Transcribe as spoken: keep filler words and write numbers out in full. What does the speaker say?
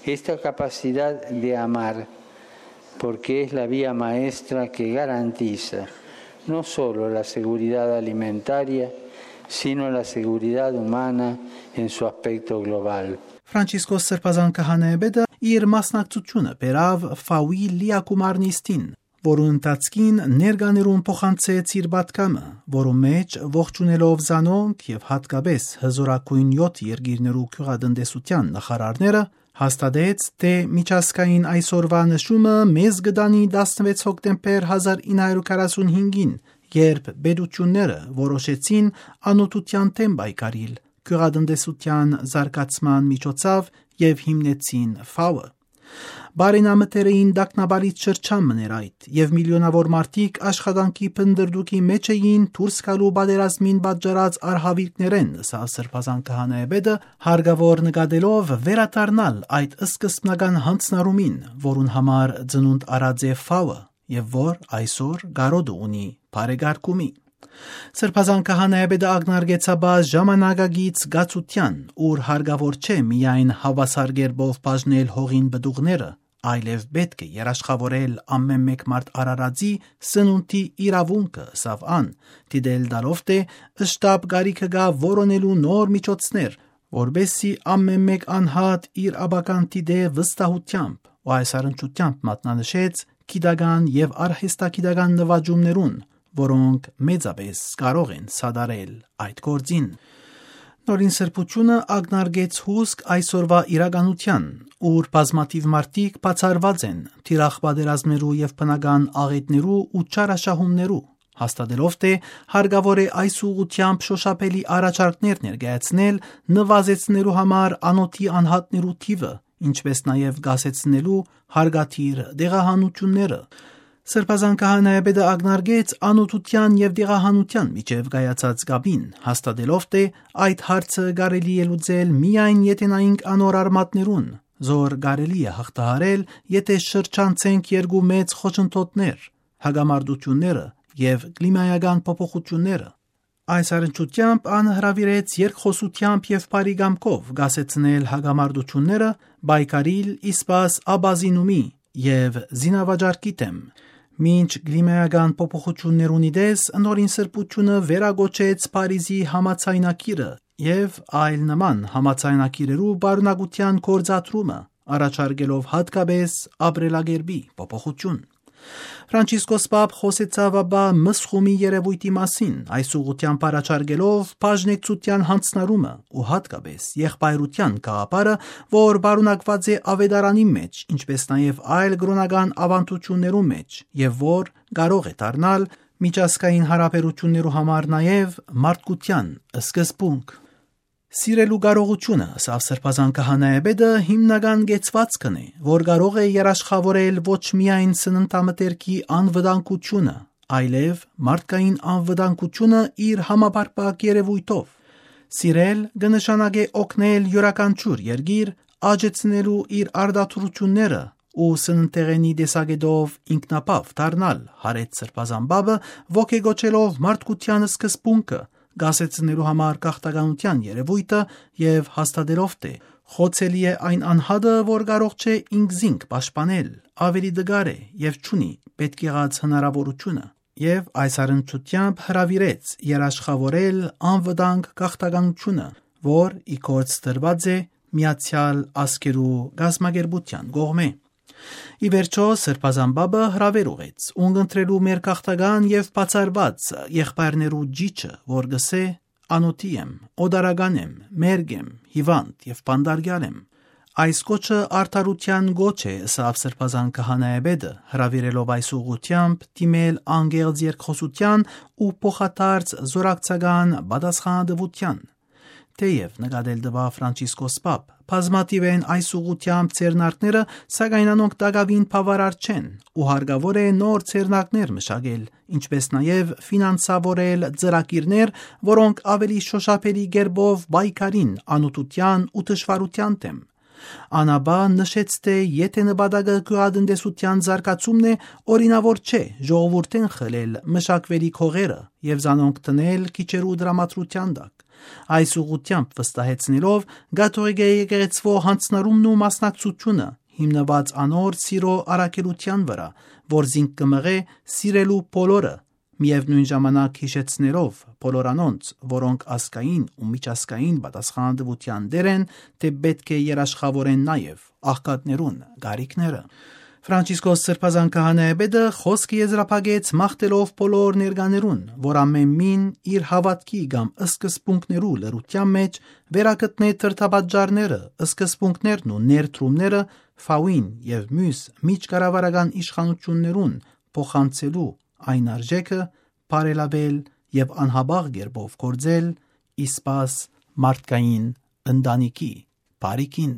Esta capacidad de amar, porque es la vía maestra que garantiza no solo la seguridad alimentaria, sino la seguridad humana en su aspecto global. Ֆրանցիսկոս Սրբազան քահանայապետը իր մասնակցությունը բերաւ Ֆաուի լիակումար նիստին, որուն ընթացքին ներկաներուն փոխանցեց իր պատգամը, որու մէջ ողջունելով զանոնք եւ յատկապես հզօրագոյն յոթ երկիրներու գիւղատնտեսութեան նախարարները, հաստատեց, թէ միջազգային այսօրուայ նշումը մեզ կը տանի տասնվեց հոկտեմբեր հազար ինը հարիւր քառասունհինգին, երբ պետութիւնները որոշեցին անօթութեան դէմ պայքարիլ գիւղատնտեսութեան զարգացման միջոցով եւ հիմնեցին Ֆաուը։ Բարենամտերային տագնապալից շրջան մըն էր այդ, եւ միլիոնաւոր մարդիկ աշխատանքի փնտռտուքի մէջ էին դուրս գալու պատերազմին պատճառած արհաւիրքներէն, ըսաւ Սրբազան քահանայապետը, հարկաւոր նկատելով վերադառնալ այդ սկզբնական յանձնառումին, որուն համար ծնունդ առած է Ֆաուը եւ որ այսօր կարօտը ունի բարեկարգումի։ Սրբազան քահանայապետը ակնարկեց ապա ժամանակակից կացութեան, ուր հարկաւոր չէ միայն հաւասար կերպով բաժնել հողին պտուղները, այլեւ պէտք է երաշխաւորել ամէն մէկ մարդ արարածի սնունդի իրաւունքը, ըսաւ ան, դիտել տալով թէ շտապ կարիքը կայ որոնելու նոր միջոցներ, որպէսզի ամէն մէկ անհատ իր ապագան դիտէ վստահութեամբ ու այս առնչութեամբ մատնանշեց գիտական եւ արհեստագիտական նուաճումներուն, որոնք մեծապէս կարող են սատարել այդ գործին։ Նորին Սրբութիւնը ակնարկեց հուսկ այսօրուայ իրականութեան, ուր բազմաթիւ մարդիկ բացառուած են թիրախ պատերազմներու եւ բնական աղէտներու ու չարաշահումներու, հաստատելով թէ հարկաւոր է այս ուղղութեամբ շոշափելի առաջարկներ ներկայացնել նուազեցնելու համար անօթի անհատներու թիւը, ինչպէս նաեւ կասեցնելու հարկադիր տեղահանութիւնները։ Սրբազան քահանայապետը ակնարկեց անօթութեան եւ տեղահանութեան միջեւ կայացած կապին, հաստատելով թէ այդ հարցը կարելի է լուծել միայն եթէ նայենք անոր արմատներուն, զոր կարելի է հաղթահարել, եթէ շրջանցենք երկու մեծ խոչընդոտներ, հակամարտութիւնները եւ կլիմայական փոփոխութիւնները։ Այս առնչութեամբ ան հրաւիրեց երկխօսութեամբ եւ բարի կամքով կասեցնել հակամարտութիւնները, պայքարիլ ի սպաս ապազինումի եւ զինավաճառքի դէմ։ Մինչ կլիմայական փոփոխութիւններուն ի տես, Նորին Սրբութիւնը վերակոչեց Փարիզի համաձայնագիրը եւ այլ նման համաձայնագիրերու պարունակութեան գործադրումը, առաջարկելով յատկապես ապրելակերպի փոփոխութիւն։ Ֆրանցիսկոս Պապ խօսեցաւ ապա Մսխումի երեւոյթի մասին, այս ուղղութեամբ առաջարկելով բաժնեկցութեան յանձնառումը ու յատկապես եղբայրութեան գաղափարը, որ պարունակուած է աւետարանի մէջ, ինչպէս նաեւ այլ կրօնական աւանդութիւններու մէջ, եւ որ կարող է դառնալ միջազգային յարաբերութիւններու համար նաեւ մարդկութեան սկզբունք։ Սիրելու կարողութիւնը, ըսաւ Սրբազան քահանայապետը, հիմնական կեցուածքն է, որ կարող է երաշխաւորել ոչ միայն սննդամթերքի անվտանգութիւնը, այլեւ մարդկային անվտանգութիւնը իր համապարփակ երեւոյթով։ Սիրել կը նշանակէ օգնել իւրաքանչիւր երկիր աճեցնելու իր արտադրութիւնները ու սննդեղենի տեսակէտով ինքնաբաւ դառնալ, յարեց Սրբազան Պապը, ոգեկոչելով մարդկութեան սկզբունքը, կասեցնելու համար գաղթականութեան երեւոյթը եւ հաստատելով թէ խոցելի է այն անհատը, որ կարող չէ ինքզինք պաշտպանել, աւելի տկար է եւ չունի պէտք եղած հնարաւորութիւնը, եւ այս առնչութեամբ հրաւիրեց երաշխաւորել անվտանգ գաղթականութիւնը, որ ի գործ դրուած է Միացեալ Ազգերու կազմակերպութեան կողմէ։ Ի վերջոյ, Սրբազան Պապը հրաւեր ուղղեց, ունկնդրելու մեր գաղթական եւ բացառուած եղբայրներու ճիչը, որ կ'ըսէ. «Անօթի եմ, օտարական եմ, մերկ եմ, հիւանդ եւ բանտարկեալ եմ»։ Այս կոչը արդարութեան կոչ է, ըսաւ Սրբազան քահանայապետը, հրաւիրելով այս ուղղութեամբ դիմել անկեղծ երկխօսութեան ու փոխադարձ զօրակցական պատասխանատուութեան։ Թէեւ նկատել տուաւ Ֆրանցիսկոս Պապ, բազմաթիւ են այս ուղղութեամբ ձեռնարկները, սակայն անոնք տակաւին բաւարար չեն ու հարկաւոր է նոր ձեռնարկներ մշակել, ինչպէս նաեւ ֆինանսաւորել ծրագիրներ, որոնք աւելի շոշափելի կերպով պայքարին անօթութեան ու թշուառութեան դէմ։ Ան ապա նշեց, թէ եթէ նպատակը գիւղատնտեսութեան զարգացումն է, օրինաւոր չէ ժողովուրդէն խլել մշակուելիք հողերը եւ զանոնք դնել քիչերու տրամադրութեան տակ։ Այս ուղղութեամբ վստահեցնելով կաթողիկէ եկեղեցւոյ յանձնառումն ու մասնակցությունը, հիմնուած անոր սիրո առաքելութեան վրայ, որ զինք կը մղէ սիրելու բոլորը, միեւնոյն ժամանակ յիշեցնելով բոլոր անոնց, որոնք ազգային ու միջազգային պատասխանատուութեան տեր են, թէ պէտք է երաշխաւորեն նաեւ աղքատներուն կարիքները։ Ֆրանցիսկոս Սրբազան քահանայապետը խօսքը եզրափակեց մաղթելով բոլոր ներկաներուն, որ ամէն մին իր հաւատքի կամ սկզբունքներու լրութեան մէջ վերագտնէ դրդապատճառները, սկզբունքներն ու ներդրումները Ֆաուին եւ միւս միջկառավարական իշխանութիւններուն փոխանցելու այն արժէքը, բարելաւել եւ անհապաղ կերպով գործել ի սպաս մարդկային ընտանիքի բարիքին։